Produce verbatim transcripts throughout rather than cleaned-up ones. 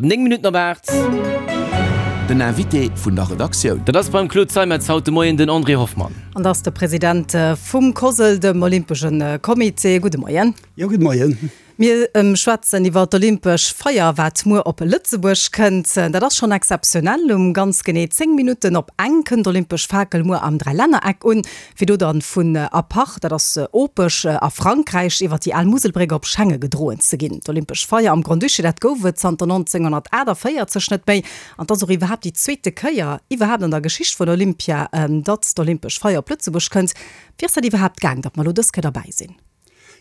Néng Minutten op aacht. Den Invité vun der Redaktioun. Dat ass beim Claude Zeimetz haut de Moien den André Hoffmann. An dat ass de President vum COSL, dem Olympesche Comité. Gudde Moien. Jo, gudde Moien. Mir schwätzen iwwer d'Olympesch Feier, wat muer op Lëtzebuerg kënnt. Dat ass schonn exzeptionell. Um ganz genee zéng Minutten op eng kënnt d'Olympesch Fakel muer am Dräilännereck un, fir do dann vun Apach, dat ass Opech a Frankräich, iwwer déi al Muselbréck op Schengen gedroen ze ginn. D'Olympesch Feier am Grand-Duché, dat gouf et zanter nonzénghonnertaachtavéierzeg net méi. An 't ass och iwwerhaapt déi zweete Kéier iwwerhaapt an der Geschicht vun Olympia, datt d'Olympesch Feier op Lëtzebuerg kënnt. Wéi ass dat iwwerhaapt gaang, datt mer elo dës Kéier derbäi sinn?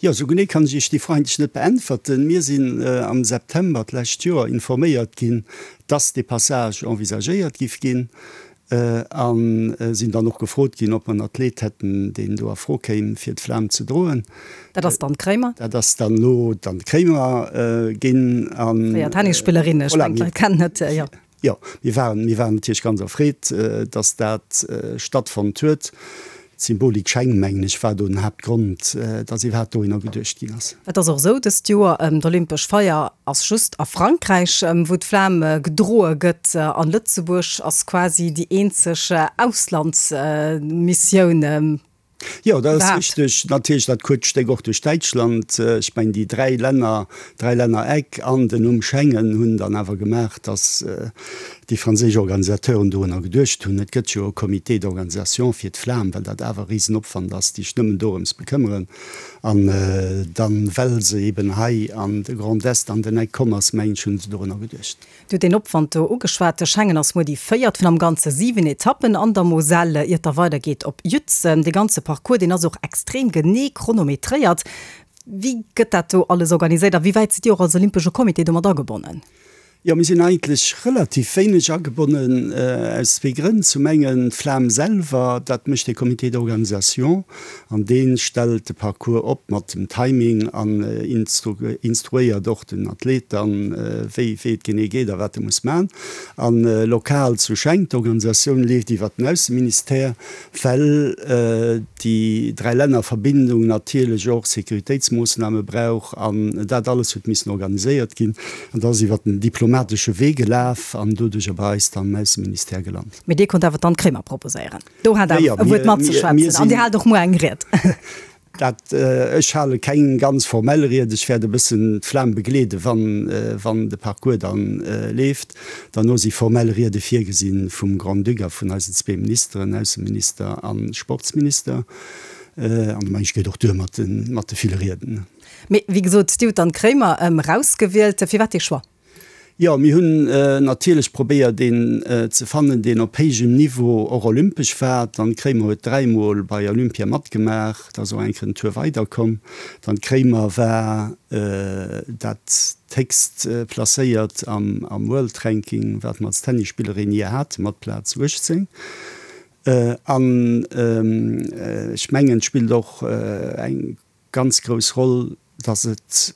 Jo, esou genee kann ech Iech déi Fro eigentlech net beäntwerten. Mir sinn am September d'lescht Joer informéiert ginn, dass dee Passage envisagéiert giff ginn a sinn dann och gefrot ginn, ob mer en Athlet hätten, deen do a Fro kéim, fir d'Flam ze droen. Dat ass dann d'Kréimer? Dat ass dann elo dann d'Kréimer ginn. Fréier Tennisspillerin, ech mengen, d'Leit kennen et, jo. Jo, mir waren, mir waren natierlech ganz erfreet, dass dat stattfonnt huet. D'Symbolik Scheng, mengen ech, war do den Haaptgrond, dass iwwerhaapt dohinner geduecht ginn ass. Et ass och esou, dëst Joer, d'Olympesch Feier ass just a Frankräich, wou d'Flam gedroe gëtt. An Lëtzebuerg ass quasi déi eenzeg Auslandsmissioun. Jo, dat ass richteg. Natierlech dat kuerzt Stéck och duerch Däitschland. Ech mengen, déi dräi Länner, Dräilännereck an den Numm Schengen hunn dann awer gemaach, dass déi franséisch Organisateuren dorunner geduecht hunn. Et gëtt jo e Comité d'organisation fir d'Flam, well dat awer e Risenopwand ass, déi sech nëmmen dorëms bekëmmeren. An dann, well se eben hei an de Grand Est an den Eck komm ass, mengen ech, hunn se dorunner geduecht. Dir hutt deen Opwand do ugeschwat. De Schengen ass muer déi véiert vun am Ganze siwen Etappen an der Moselle, iert da weidergeet op Jützen. Dee ganze Parcours, deen ass och extrem genee chronometréiert. Wéi gëtt dat do alles organiséiert a wéi wäit sidd Dir och als Olympesche Comité domat agebonnen? Jo, mir sinn eigentlech relativ wéineg agebonnen, aus zwee Grënn. Zum engen d'Flam selwer, dat mécht de Comité d'organisation an dee stellt de Parcours op mat dem Timing an instruéiert och den Athlet dann, wéi wéi et genee geet a wat e muss man. An lokal zu Schenk, d'Organisatioun leeft iwwert den Ausseministère, well déi Dräilännerverbindung natierlech och Sécuritéitsmoossname brauch an dat alles huet missen organiséiert ginn. An dat ass iwwert den diplomatesche Wee gelaf an doduercher bei eis dann am Ausseministère gelant. Mee Dir konnt awer d'Anne Kremer proposéieren. Do hat awer e Wuert matzeschwätzen an Dir haalt och muer eng Ried. Dat, ech hale keng ganz formell Ried, ech wäert e bëssen d'Flam begleeden, wann, wann de Parcours dann leeft. Derno si formell Riede virgesi vum Grand-Duc a vun eisen zwee Ministeren, Ausseminister a Sportsminister. An da mengen ech, geet och duer mat de, mat de ville Rieden. Mee wéi gesot, Dir hutt d'Anne Kremer erausgewielt. Firwat dee Choix? Jo, mir hunn natierlech probéiert een ze fannen, deen op héijem Niveau och olympesch war. D'Anne Kremer huet dräimol bei Olympia matgemaach, ass och eng Kéier en Tour weider komm. D'Anne Kremer war dat héchst placéiert am World Ranking, wat mer als Tennisspillerin jee haten, mat Plaz uechtzéng. An ech mengen, et spillt och eng ganz grouss Roll, dass et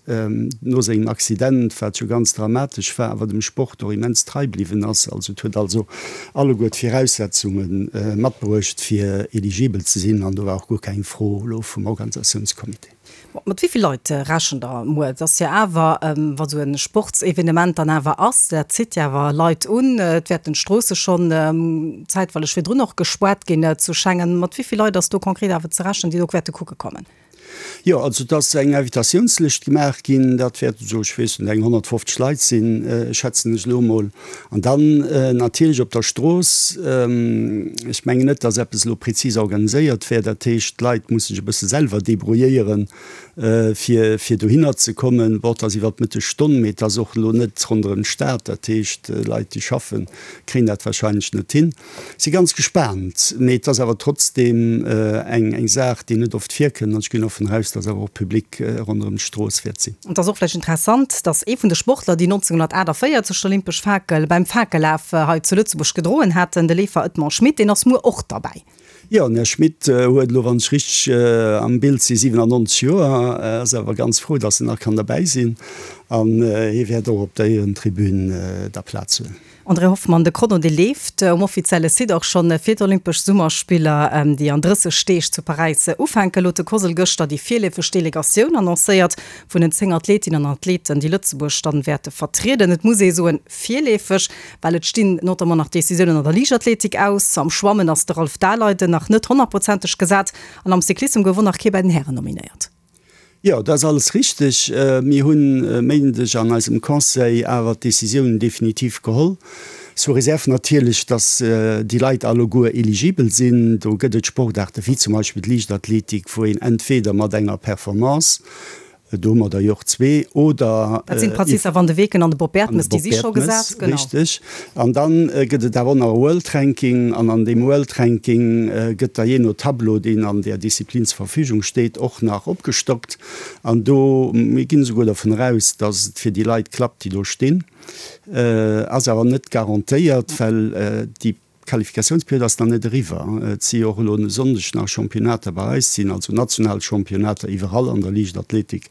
no sengem Accident, wat jo ganz dramatesch war, awer dem Sport och immens trei bliwwen ass. Also et huet also alleguer d'Viraussetzunge matbruecht, fir eligibel ze sinn, an do war och guer keng Fro elo vum Organisatiounscomité. Mat wéi vill Leit rechent Der muer? Et ass jo awer, wa sou e Sportsevenement dann awer ass, dat zitt jo awer Leit un. Et wäerten d'Stroosse schonn zäitweileg virdrun och gespaart ginn zu Schengen. Mat wéi vill Leit ass do konkret awer ze rechnen, déi do wäerte kucke kommen? Jo, also et ass eng Invitatiounslëscht gemaach ginn. Dat wäerten esou, ech weess net, eng honnertfofzeg Leit sinn, schätzen ech elo emol. An dann natierlech op der Strooss, ech mengen net, datt eppes elo prezis organiséiert wär. Dat heescht, d'Leit musse sech e bësse selwer debrouilléieren, fir, fir dohinner ze kommen. Bon, et ass iwwer d'Mëttegstonn, mee et ass och elo net ronderëm d'Stad. Dat heescht, Leit, déi schaffen, kréien dat wahrscheinlech net hin. Si ganz gespaant, mee et ass awer trotzdeem eng eng Saach, déi net oft virkënnt an ech ginn och vun aus, dass awer och Public ronderëm d'Strooss wäert sinn. Et ass och vläicht interessant, dass ee vun de Sportler, déi nonzénghonnertaachtavéierzeg d'olympesch Fakel beim Fakellaf hei zu Lëtzebuerg gedroen haten, de Leefer Edmond Schmit, deen ass muer och derbäi. Jo, den Här Schmit huet elo, wann ech richteg am Bild si, siwenannonzeg Joer, ass awer ganz frou, dass en nach kann derbäi sinn. An hie wäert och op der Éierentribün da Plaz hunn. André Hoffmann, De Chrono dee leeft um offizielle Site och schonn fir d'Olympesch Summerspiller, déi an drësseg Deeg zu Paräis ufänken. Huet de COSL gëschter déi virleefeg Delegatioun annoncéiert vun den zéng Athletinnen an Athleten, déi Lëtzebuerg dann wäerte vertrieden. Et muss ee soen, virleefeg, well et stinn notamment nach Decisiounen an der Liichtathletik aus. Am Schwammen ass de Ralph Daleiden nach net honnertprozenteg gesat an am Cyclissem gouf och nach kee bei den Hären nominéiert. Jo, dat ass alles richteg. Mir hunn e Méindeg an eisem Conseil awer d'Décisiounen definitiv geholl, sous réserve natierlech, dass déi Leit alleguer eligibel sinn. Do gëtt et Sportaarte wéi zum Beispill d'Liichtathletik, wou een entweder mat enger Performance, do hu mer der jo och zwee, oder. Dat sinn d'Patrizia van de Weken an de Bob Bertemes, déi si scho gesat, genau. Richteg. An da gëtt et awer och nach e World Ranking. An an deem World Ranking gëtt da jee no Tableau, deen an där Disziplin zur Verfügung steet, och nach opgestockt. An do, mir ginn esouguer dervun eraus, datt et fir déi Leit klappt, déi do stinn, ass awer net garantéiert, well déi D'Qualifikatiounsperiod ass nach net eriwwer. Et si jo och elo e Sonndeg nach Championnater bei eis, et sinn also national Championnater iwwerall an der Liichtathletik.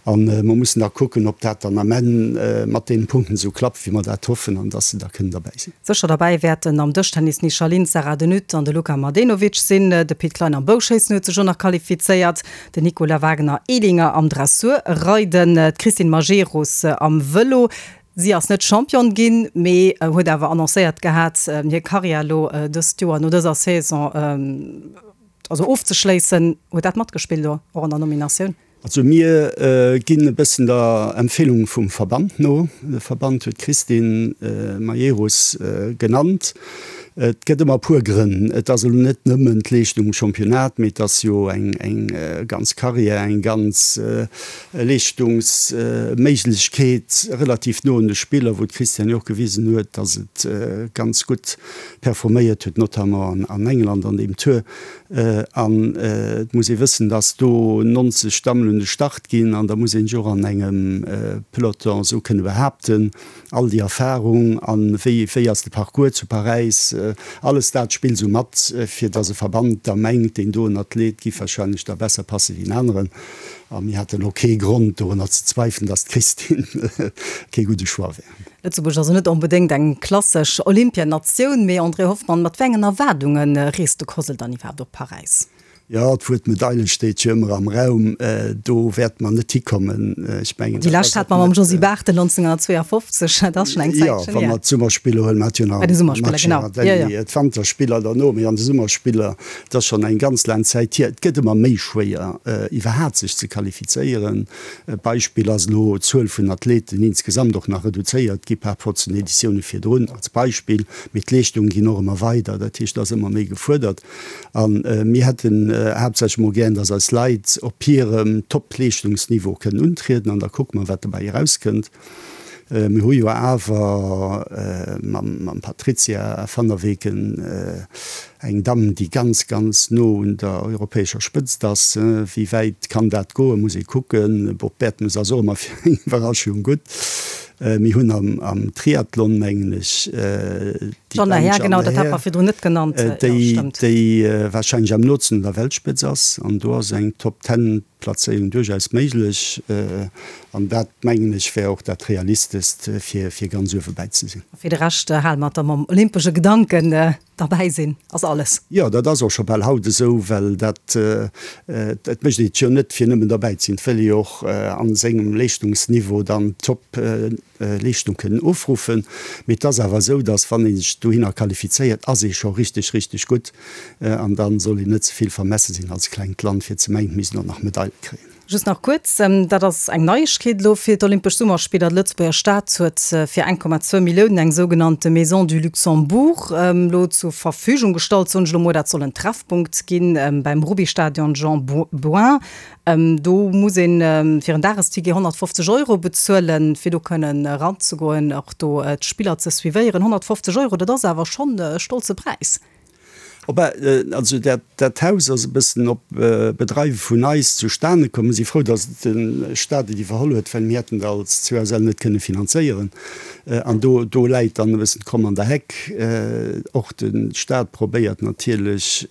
A mer mussen da kucken, ob dat dann am Enn mat deenen Punkten esou klappt, wéi mer dat hoffen, an dass se da kënnen derbäi sinn. Sécher derbäi wäerten am Dëschtennis d'Nisha Lin, d'Sarah De Nutte an de Luka Mladenovic sinn. De Pit Klein am Bouschéissen huet sech och nach qualifizéiert, den Nicolas Wagner-Ehlinger am Dressurreiden, d'Christine Majerus am Vëlo. Si ass net Championne ginn, mee huet awer annoncéiert gehat, hir Karriär elo dëst Joer no dëser Saison also ofzeschléissen. Huet dat matgespillt do och an der Nominatioun? Also mir ginn e bëssen der Empfehlung vum Verband no. De Verband huet d'Christine Majerus genannt. Et gëtt ëmmer e puer Grënn. Et ass elo net nëmmen d'Leeschtung um Championnat, mee et ass jo eng ganz Karriär, eng ganz Leeschtungsméiglechkeet relativ no un de Spiller, wou d'Christiane jo och gewisen huet, datt et ganz gutt performéiert huet, notamment an England an deem Tour. An et muss ee wëssen, datt do neunzeg Dammen un de Start ginn an da muss ee sech och an engem Peloton esou kënne behaapten. All déi Erfahrung an wéi wéi ass de Parcours zu Paräis, alles dat spillt esou mat, fir dass e Verband da mengt, deen doen Athlet giff wahrscheinlech da besser passe wéi en aneren. A mir haten elo kee Grond dorunner ze zweifelen, dass d'Christine kee gudde Choix wär. Lëtzebuerg ass jo net onbedéngt eng klassesch Olympianatioun, mee André Hoffmann, mat wéi engen Erwaardunge reest de COSL dann iwwerhaapt op Paräis? Jo, d'Wuert Medaile steet jo ëmmer am Raum. Do wäerte mer net hikommen. Ech mengen, Déi lescht hat mer mam Josy Barthel neunzehnhundertzweeaufofzeg, dat ass schonn eng Zäitchen hier. Jo, wa mer d'Summerspiller huelen, mer hate jo nach Bei de Summerspiller, genau. Jo, jo. d'Wanterspiller derno, mee an de Summerspiller, dat ass schonn eng ganz laang Zäit hier. Et gëtt ëmmer méi schwéier, iwwerhaapt sech ze qualifizéieren. Beispill ass elo d'Zuel vun Athleten insgesamt och nach reduzéiert gi par rapport zu den Editioune virdrun, als Beispill. Mee d'Leeschtungen ginn och ëmmer weider, dat heescht, et ass ëmmer méi gefuerdert. A mir hätten haaptsächlech emol gären, dass eis Leit op hirem Top-Leeschtungsniveau kënnen untrieden an da kucke mer, wat dobäi erauskënnt. Mir hu jo awer mam Patrizia van der Weken eng Damm, déi ganz, ganz no un der europäescher Spëtzt ass. Wéi wäit kann dat goen, muss ee kucken. Bob Bertemes ass och ëmmer fir eng Iwwerraschung gutt. Mir hunn am Triathlon, mengen ech, déi Jeanne Laher, genau, dat hat mer virdrun net genannt, déi, déi warscheinlech am nootsten un der Weltspëtz ass. An do ass eng Top-Ten-Plazéierung duerchaus méiglech. An dat, mengen ech, wär och dat Realistescht, fir, fir ganz uewe bäi ze sinn. A fir de Rescht hale mer et da mam olympesche Gedanken. Derbäi sinn ass alles. Jo, dat ass och scho bal haut esou, well dat, et mécht een et jo net fir nëmmen derbäi ze sinn, et wëll ee jo och a sengem Leeschtungsniveau dann d'Top-Leeschtung kënnen ofruffen. Mee et ass awer esou, datt wann ee sech dohinner qualifizéiert, ass ee scho richteg, richteg gutt an da soll een net ze vill vermesse sinn als klengt Land, fir ze mengen, et misst een och nach Medaile kréien. Just nach kuerz, dat ass eng Neiegkeet elo fir d'Olympesch Summerspiller, D'Lëtzebuerger Stad huet fir eng Komma zwou Milliounen eng sougenannte Maison du Luxembourg elo zur Verfügung gestallt, soen ech elo mol. Dat soll en Treffpunkt gi beim Rubbystadion Jean Bouin. Do muss ee fir en Dagesticket honnertfofzeg Euro bezuelen, fir do kënnen eranzegoen, och do d'Spiller ze suivéieren. honnertfofzeg Euro, dat ass awer schonn e stolze Präis. Op, also dat, dat Haus ass e bëssen op Bedreiwe vun eis zustane komm. Mir si frou, datt de Staat et iwwerholl huet, well mir hätten et als COSL net kënne finanzéieren. An do, do läit dann e bëssen d'Kromm an der Heck. Och de Staat probéiert natierlech,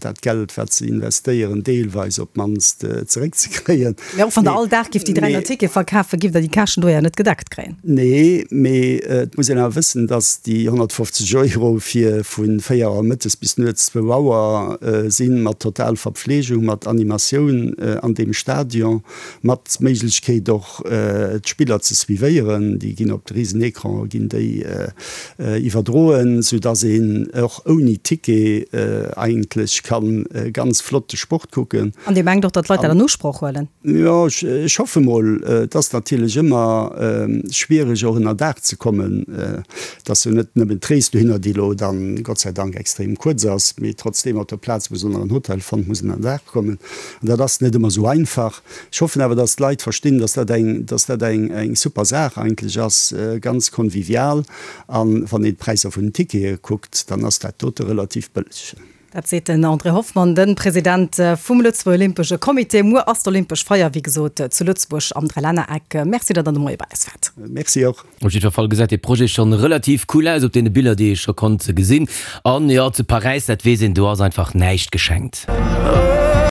dat Geld, wat se investéieren, deelweis op d'mannst zeréckzekréien. Mä och wann Der all Dag gift déi dräihonnert Tickete verkafen, gift Der déi Käschten do jo net gedeckt kréien. Nee, mee et muss een awer wëssen, datt déi honnertfofzeg Euro fir vu véier Auer mëttes bis nuets zwou Auer sinn, mat total Verpflegung, mat Animatioun an deem Stadion, mat Méiglechkeet och d'Spiller ze suivéieren, déi ginn op de Risenecran ginn déi iwwerdroen, soudass een och ouni Ticket eigentlech ka ganz flott de Sport kucken. An Dir mengt och, datt d'Leit dat an Usproch huelen? Jo, ech hoffe mol. Et ass natierlech ëmmer schwiereg och ënnerdaach ze kommen. Et ass jo net nëmmen d'Rees dohinner, déi elo dann Gott sei Dank extrem kuerz ass, mee trotzdeem op der Plaz muss een nach en Hotel fannen, muss ënnerdaach kommen. An dat ass net ëmmer esou einfach. Ech hoffen awer, dass d'Leit verstinn, dass dat eng, dass dat eng, eng super Saach eigentlech ass, ganz convivial. An wann een d'Präisser vun den Tickete kuckt, dann ass dat dote relativ bëlleg. Dat seet den André Hoffmann, de President vum Lëtzebuerger Olympesche Comité. Muer ass d'Olympesch Feier, wéi gesot, zu Lëtzebuerg am Drälännereck. Merci, datt Der de Moie bei eis waart. Merci och. Op jiddwer Fall gesäit dee Projet schonn relativ cool aus op deene Biller, déi ee scho konnt gesinn. An jo, zu Paräis, dat weess een, do ass einfach näischt geschenkt.